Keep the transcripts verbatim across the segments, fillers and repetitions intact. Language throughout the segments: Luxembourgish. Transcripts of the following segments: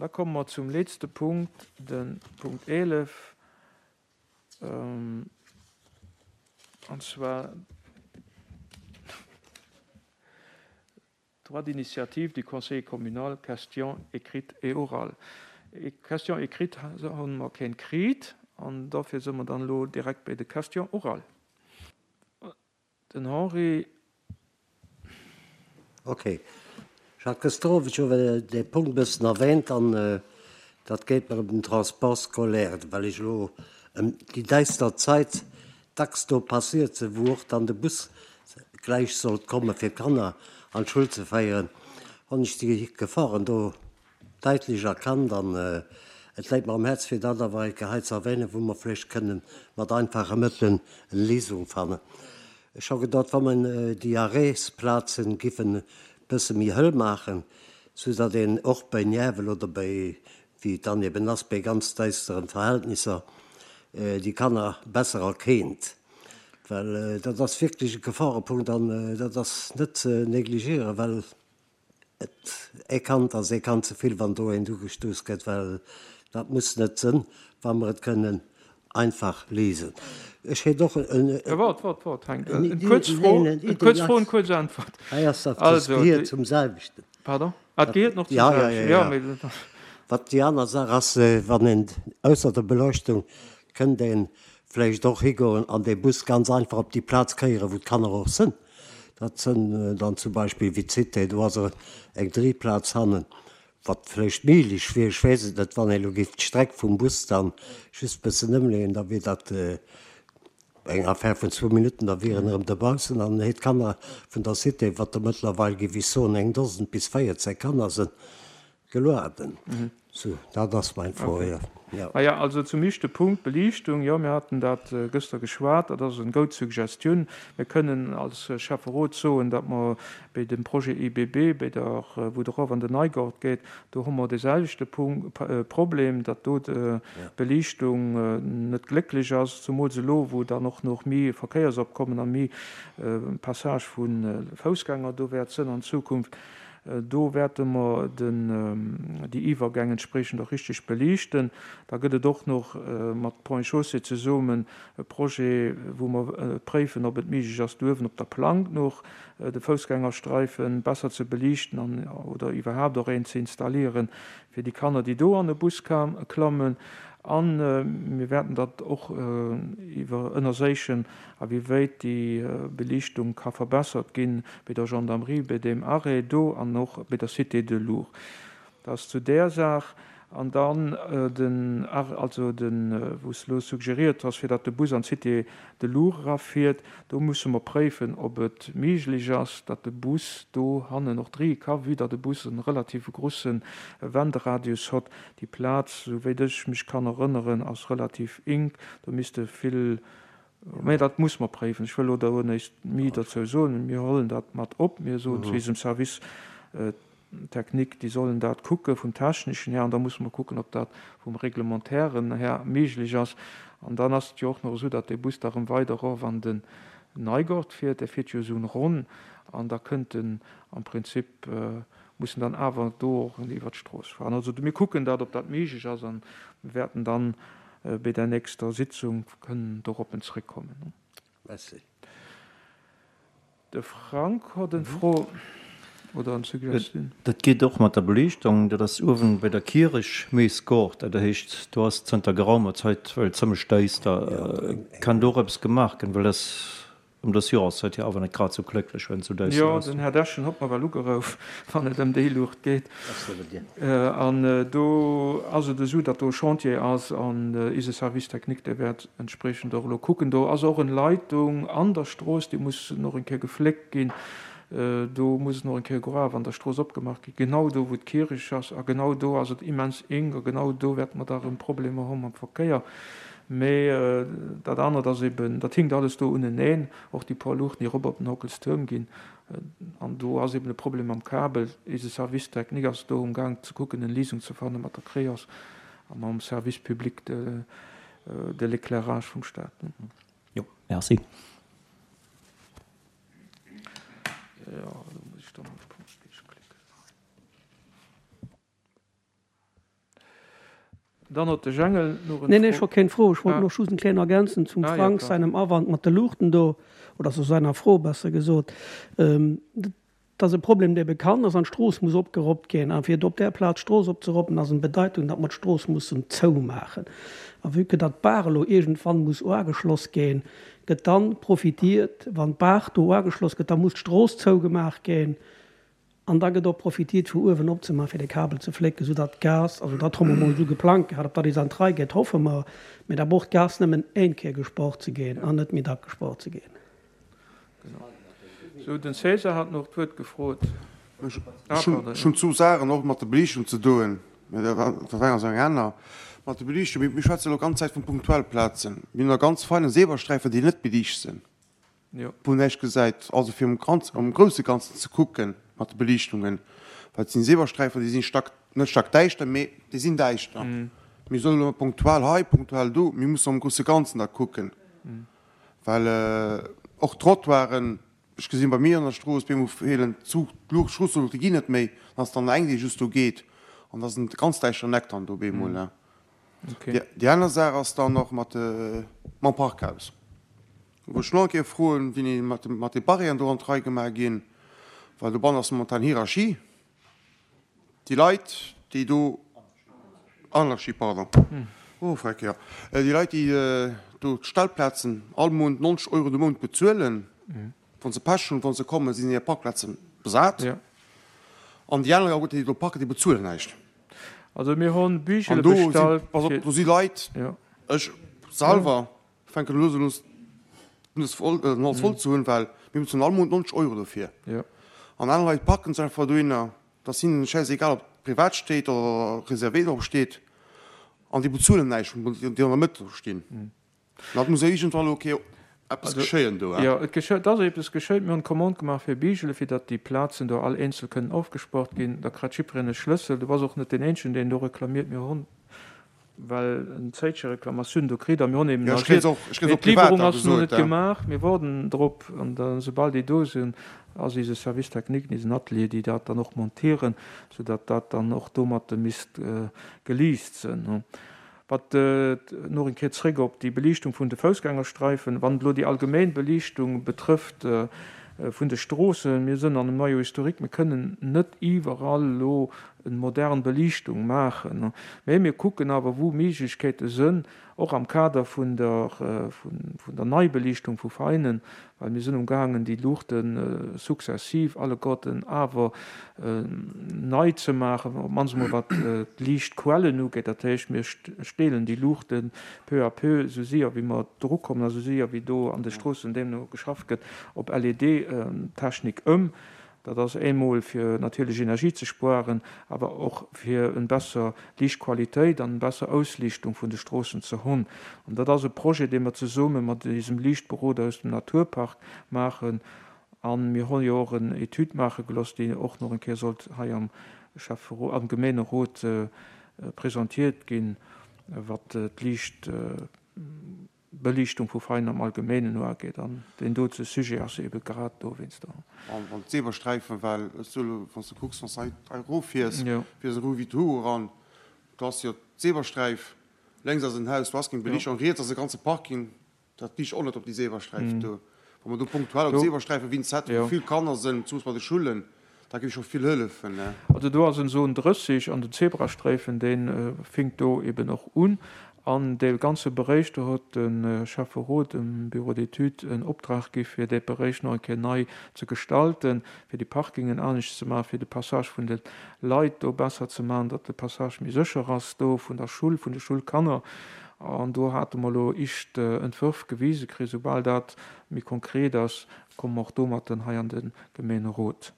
An da komme mer zum letzte Punkt, den Punkt eelef, an zwar Droit d'initiative du Conseil communal, question écrite et orale. Question écrite hu mer keng kritt, an dofir si mer dann elo direkt bei de Questions orales. Den Henri. Ok. Ech hat gëschter Owend scho dee Punkt e bëssen erwähnt an dat geet mer ëm den Transport scolaire, well ech elo ëm déi däister Zäit dacks do passiert sinn, wou och dann de Bus gläich sollt komme fir d'Kanner an d'Schoul ze féieren, hunn ech déi Geforen do daitlech erkannt an et läit mer am Häerz fir dat awer eng Kéier hei ze erwähnen, wou mer vläicht kënnen mat einfache Mëttelen eng Léisung fannen. Ech hu gedacht, wa mer déi Arrêtsplazen giffen e bësse méi hëll maachen, sou datt een och bei Niwwel oder bei, wéi et dann eben ass, bei ganz däisteren Verhältnisser déi Kanner besser erkennt. Well dat ass wierklech e Gefarepunkt an dat ass net ze negligieren, well et ee Kand ass ee Kand ze vill, wann do eent ugestouss gëtt, well dat muss net sënn, wa mer et kënnen einfach léisen. Ech hätt och en. Waart, waart, waart, Henk. Eng kuerz Fro, eng kuerz Fro, eng kuerz Äntwert. Hei ass dat, dat gehiert zum selwechten. Pardon? Ah, dat gehiert nach zum selwechten. Ja, ja, ja. Wat déi aner Saach ass, wann een ausser der Beleuchtung kënnt ee vläicht och higoen an dee Bus ganz einfach op déi Plaz kéieren, wou d'Kanner och sënn. Dat sënn dann zum Beispill wéi d'Cité, do ass eng Dréiplaz hannen. Wat vläicht méiglech wier, ech weess et net, wann ee lo géif d'Streck vum Bus dann just bëssen ëmleeën, da wier dat eng Affaire vun zwou Minutten, da wier en erëm dobaussen an héi d'Kanner vun der Cité, wat der mëttlerweil, géif ech soen, eng Dosen bis véierzéng Kanner sënn, gelueden. Sou, dat ass meng Fro, jo. Maja, also zum éischte Punkt, Beliichtung, jo, mir haten dat gëschter geschwat, dat ass eng goud Suggestioun. Mir kënnen als Schäfferot soen, datt mer béi dem Projet I B B, béi der, wou et erof an den Neigort geet, do hu mer deeselwechte Punkt, Problem, datt do d'Beliichtung net glécklech ass, zumools elo, wou dann och nach méi Verkéiersopkommen a méi Passage vu Foussgänger do wäert sënn an Zukunft. Do wäerte mer déi Iwwergäng entspriechend och richtig beliichten. Da gëtt et och nach mat Ponts et Chaussées zesummen e Projet, wou mer préifen, ob et méiglech ass, do uewen op der Plank nach de Foussgängerstreife besser ze beliichten an oder iwwerhaapt och een ze installieren, fir déi Kanner, déi do an e Bus klammen. A mir wäerten dat och iwwer ënnerséichen, a wéi wéit déi Beliichtung ka verbessert ginn bei der Gendarmerie, bei deem Arrêt do an och bei der Cité de Lourdes. Dat ass zu där Saach. An dann den Arrêt, also den, wou s de elo suggeriert has, fir datt de Bus an d'Cité de Lourdes erafiert, do musse mer préifen, ob et méiglech ass, datt de Bus do hannen och dréie ka, vue datt e Bus e relative grusse Wenderadius hott. Déi Plaz, esou wéit ech mech kann erënneren, ass relativ ink. Do misste vill, mä dat muss mer préifen. Ech wëll elo do näischt méi dozou soen. Mir huelen dat mat op. Mir soen zu eisem Service technique, déi sollen dat kucke vum Techneschen här, an da musse mer kucken, ob dat vum Reglementairen här méiglech ass. An dann ass et jo och nach esou, datt dee Bus da erëm weider erof an den Neigort fiert. Dee fiert jo esou en ronn an da kënnt en am Prinzip, muss en dann awer do och iwwert d'Strooss fahren. Also mir kucken dat, ob dat méiglech ass, a mir wäerten dann bei der nächster Sitzung kënnen doroppen zréckkommen. Merci. De Frank hott en Fro oder en Suggestioun. Dat geet och mat der Beliichtung. Dat ass uewen bei der Kierech Meesgort. Dat heescht, do ass zënter geraumer Zait well zëmmlech däister. Kann do och eppes gemaach ginn, well dat ëm dës Joreszäit jo awer net grad sou glécklech, wenn et sou däister Jo, ass? den Här Dechen hott mer well ugerouf, wann et ëm déi Luucht geet. An do ass et esou, datt do e Chantier ass an ise Service technique, dee wäert entspriechend och elo kucken. Do ass och en Leitung an der Strooss, déi muss nach eng Kéier gefléckt ginn. Do muss nach eng Kéier Gruef an der Strooss opgemaach ginn, genau do, wou d'Kierch ass. A genau do ass et immens enk a genau do wäerte mer da erëm Problemer hu mam Verkéier. Mee dat anert ass eben, dat hinkt alles do uneneen, och déi puer Luuchten, déi erop op den Hockelstuerm ginn. An do ass eben e Problem mam Kabel. Eise Service technique ass do umgaang ze kucken, en Léisung ze fanne mat der Creos a mam Service public de de l'éclairage vum Staat. Jo, merci. Jo, do muss ech dann op Punkt klicken. Dann huet de Jengel nach eng Nee, nee, ech hu keng Fro. Ech wollt ah. nach just eng kleng ergänzen zum ah, Frank ja, seinem Awand mat de Luuchten do, oder zu seiner Fro, besser gesot. Ähm, dat ass e Problem, dee bekannt ass, an d'Strooss muss opgeroppt ginn. A fir op där Plaz d'Strooss opzeroppen, ass eng Bedeitung, datt mer d'Strooss mussen zoumaachen. A vue que datt d'Baach elo iergendwann muss uageschloss ginn, gëtt dann profitiert, wann d'Baach do uageschloss gëtt, da muss d'Strooss zougemaach ginn. An da gëtt och profitiert, vu uewen opzemaachen, fir de Kabel ze flécken, soudatt d'Gas, also dat hu mer emol esou geplangt gehat, ob dat is an d'Rei geet, hoffe mer, mee da brauch d'Gas nëmmen een Kéier gesport ze ginn an net méi dack gesport ze ginn. Genau. Sou, den César hat nach d'Wuert gefrot. Ech hunn zwou Saachen och mat der Beliichtung ze doen, mä dat eng ass eng aner. Mat der Beliichtung, mir schwätzen elo ganz Zäit vu punktuell Plazen. Mir hunn der ganz feinen Zebrasträifen, déi net beliicht sinn, wou näischt gesäit. Also fir am grousse Ganzen ze kucken mat de Beliichtungen, well et sinn Zebrasträifen, déi sinn stack, net stackdäischter, mee déi sinn däischter. Mir solle elo punktuell hei, punktuell do, mir mussen am grousse Ganzen da kucken, well och d'Trottoiren, ech gesinn bei mir an der Strooss, bemol feelen d'Luucht, d'Stroosseluuchte ginn net méi, dann ass dann eng, déi just do geet, an da ass en ganz däischteren Eck dann do bemol. Déi aner Saach ass dann och mat mam Parkhaus, wou ech nach eng Kéier froen, wéini mat de Barrièren do an d'Rei gemaach ginn, well dobannen ass momentan Hierarchie. Déi Leit, déi do, Anarchie, pardon, oh freck, jo, déi Leit, déi do d'Stellplazen all Mount neunzeg Euro de Mount bezuelen, wa se Pech hunn, wa se kommen, sinn hir Parkplaze besat. An déi aner, déi do parken, déi bezuelen näischt. Also mir hunn Büchele bestallt. An do si, pass op, do si Leit, ech selwer fänken elo un, d'Nues voll, den Hals voll ze hunn, well mir bezuelen all Mount neunzeg Euro dofir. An aner Leit parken sech einfach dohinner. Et ass hinnen schäisegal, ob privat steet oder réservé drop steet. An déi bezuelen näischt, déi an der Mëtt do stinn. An dat muss jo iergendwann elo okay eppes geschéien do. Jo, et geschéit, et ass eppes geschéit. Mir hunn d'Commande gemaach fir Bigele, fir datt déi Plazen do all eenzel kënnen ofgespaart ginn. Da kritt jiddwereen e Schlëssel. Du bass och net deen Eenzegen, deen do reklamiert. Mir hunn well en Zéitche Reklamatioun do kritt a mir hunn eben agiert, mee d'Liwwerung ass nach net gemaach. Mir woarden drop an da soubal déi do sinn, ass eise Service technique, eisen Atelier, déi dat dann och montieren, soudatt dat dann och domatte misst geliist sinn. Wat nach eng Kéier zréck op déi Beliichtung vun de Foussgängersträifen, wann et elo déi allgemeng Beliichtung betrëfft vun de Stroossen, mir sënn an einem Noyau historique, mir kënnen net iwwerall elo eng modern Beliichtung maachen, mä mir kucken awer wou Méiglechkeete sënn, och am Kader vun der vun der Neibeliichtung vu Veinen, well mir sënn umgaangen déi Luuchte successiv alleguerten awer nei ze maachen, op d'mannst emol wat d'Liichtquellen ugeet. Dat heescht, mir steelen déi Luuchte peu à peu, esou séier wéi mer drukommen a esou séier wéi do an de Stroossen deemno geschafft gëtt, op L E D-Technik ëm. Dat ass eemol fir natierlech Energie ze spueren, awer och fir en besser Liichtqualitéit an en besser Ausliichtung vun de Stroossen ze hunn. An dat ass e Projet, dee mer zesumme mat eisem Liichtberoder aus dem Naturpark maachen. A mir hu jo och en Etüd maache gelooss, déi och nach eng Kéier sollt hei am Schäfferot, am Gemeenerot presentiert ginn, wat d'Liichtbeliichtung vu Veinen am Allgemeenen uageet. An deen dote Sujet ass ebe grad dowéinster. An wann d'Zebrasträifen, well ech soe lo, wann s de kucks, wann s de hei erofiers, fiers de Rue Vito Hugo eran, do ass jo d'Zebrasträif, lénks ass en Haus, do ass keng Beliichtung, an riets ass e ganze Parking, dat liicht och net op déi Zebrasträif do. Wa mer do punktuell op Zebrasträifen wéinst hätten, wou vill Kanner sinn, zumools bei de Schullen, dat géif scho vill hëllefen. Also do ass en Zone drësseg an den Zebrasträifen, dee finkt do eben och un. An dee ganze Beréich, do huet de Schäfferot dem Bureau d'études en Optrag gi fir dee Beréich nach eng Kéier nei ze gestalten, fir déi Parkingen anescht ze maachen, fir de Passage vun de Leit do besser ze maachen, datt de Passage méi sécher ass do vun der Schull, vun de Schoulkanner. An do hate mer elo éischt Entwërf gewise kritt. Soubal dat méi konkret ass, komme mer och domatten hei an de Gemeenerot.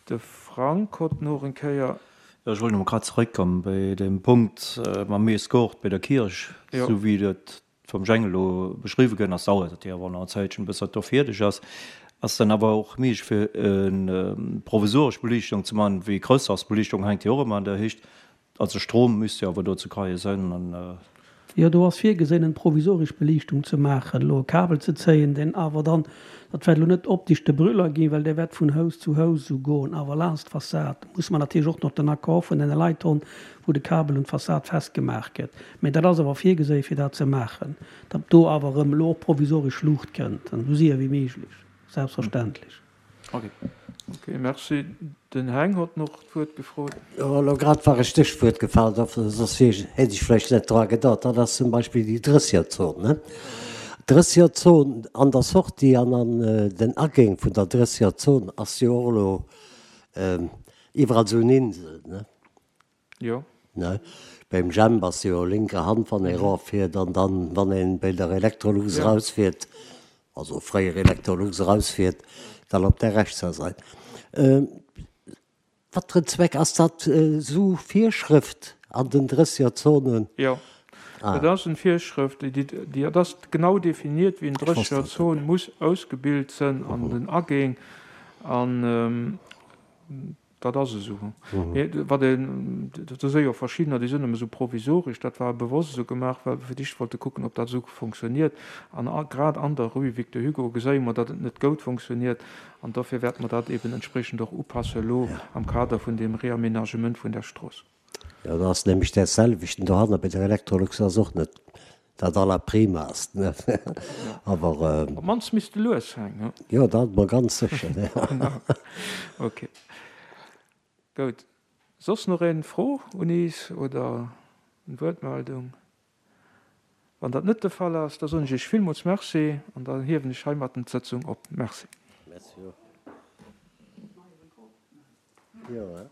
De Frank hott noch eng Kéier. Jo, ech wollt nach mol grad zeréckkommen bei deem Punkt mam Meesgort bei der Kierch. Esou wéi dat vum Jhang elo beschriwwen gënn ass, dauert dat jo awer nach en Zäitchen, bis dat do fierdeg ass. Ass dann awer och méiglech fir e provisoresch Beliichtung ze man, wéi Chrëschtdagsbeliichtung hänkt jo och ëmmer an der Héicht. Also Strom müsst jo awer do ze kreie sënn an Jo, do ass virgesinn, eng provisoresch Beliichtung ze maachen, elo e Kabel ze zéien, deen awer dann, dat wäert elo net optisch de Brüller ginn, well dee wäert vun Haus zu Haus esou goen, awer laanscht d'Fassad muss mer natierlech och nach den Accord vun deene Leit hunn, wou de Kabel un d'Fassad festgemaach gëtt. Mä dat ass awer virgesinn, fir dat ze maachen, datt do awer erëm elo och provisoresch Luucht kënnt, an esou séier wéi méiglech, selbstverständlech. Ok, merci. Den Heng hott noch d'Wuert gefrot. Jo, elo grad war e Stéchwuert gefall, soss hätt ech vläicht net dra gedacht. Dat ass zum Beispill déi Drëssegerzon, ne? D'Drëssegerzon an der Sortie an an den Agäng vun der Drëssegerzon ass jo och elo iwwerall esou en Insel, ne? Jo. Ne? Beim Jemp ass jo linker Hand, wann ee eroffiert, an dann, wann ee bei der Electrolux erausfiert, also fréier Electrolux erausfiert, dann op der rechtser Sait. Wat fir en Zweck ass dat esou Virschrëft an den Drëssegerzonen? Jo, dat ass en Virschrëft, déi, dat ass genau definiert, wéi en Drëssegerzon muss ausgebilt sënn an den Agäng. An Dat ass esou. Mee wat een, do si jo verschiddener, déi sinn nëmme esou provisoresch, dat war bewosst esou gemaach, well wir fir d'éischt wollte kucken, ob dat esou funktioniert. An grad an der Rue Victor Hugo geséie mer, datt et net goud funktioniert. An dofir wäerte mer dat eben entspriechend och upasse elo am Kader vun deem Réaménagement vun där Strooss. Jo, do ass nämlech dat selwechten dohanner bei der Electrolux ass och net dat allerprimast, ne? Awer. Op d'mannst misst de lues hängen, ne? Jo, dat mol ganz sécher, ne? Ok, goud. Soss nach een Fro un is oder en Wuertmeldung? Wann dat net de Fall ass, da soen ech iech villmools Merci an dann hiewen ech heimatten d'Sëtzung op. Merci. Merci och. Jo.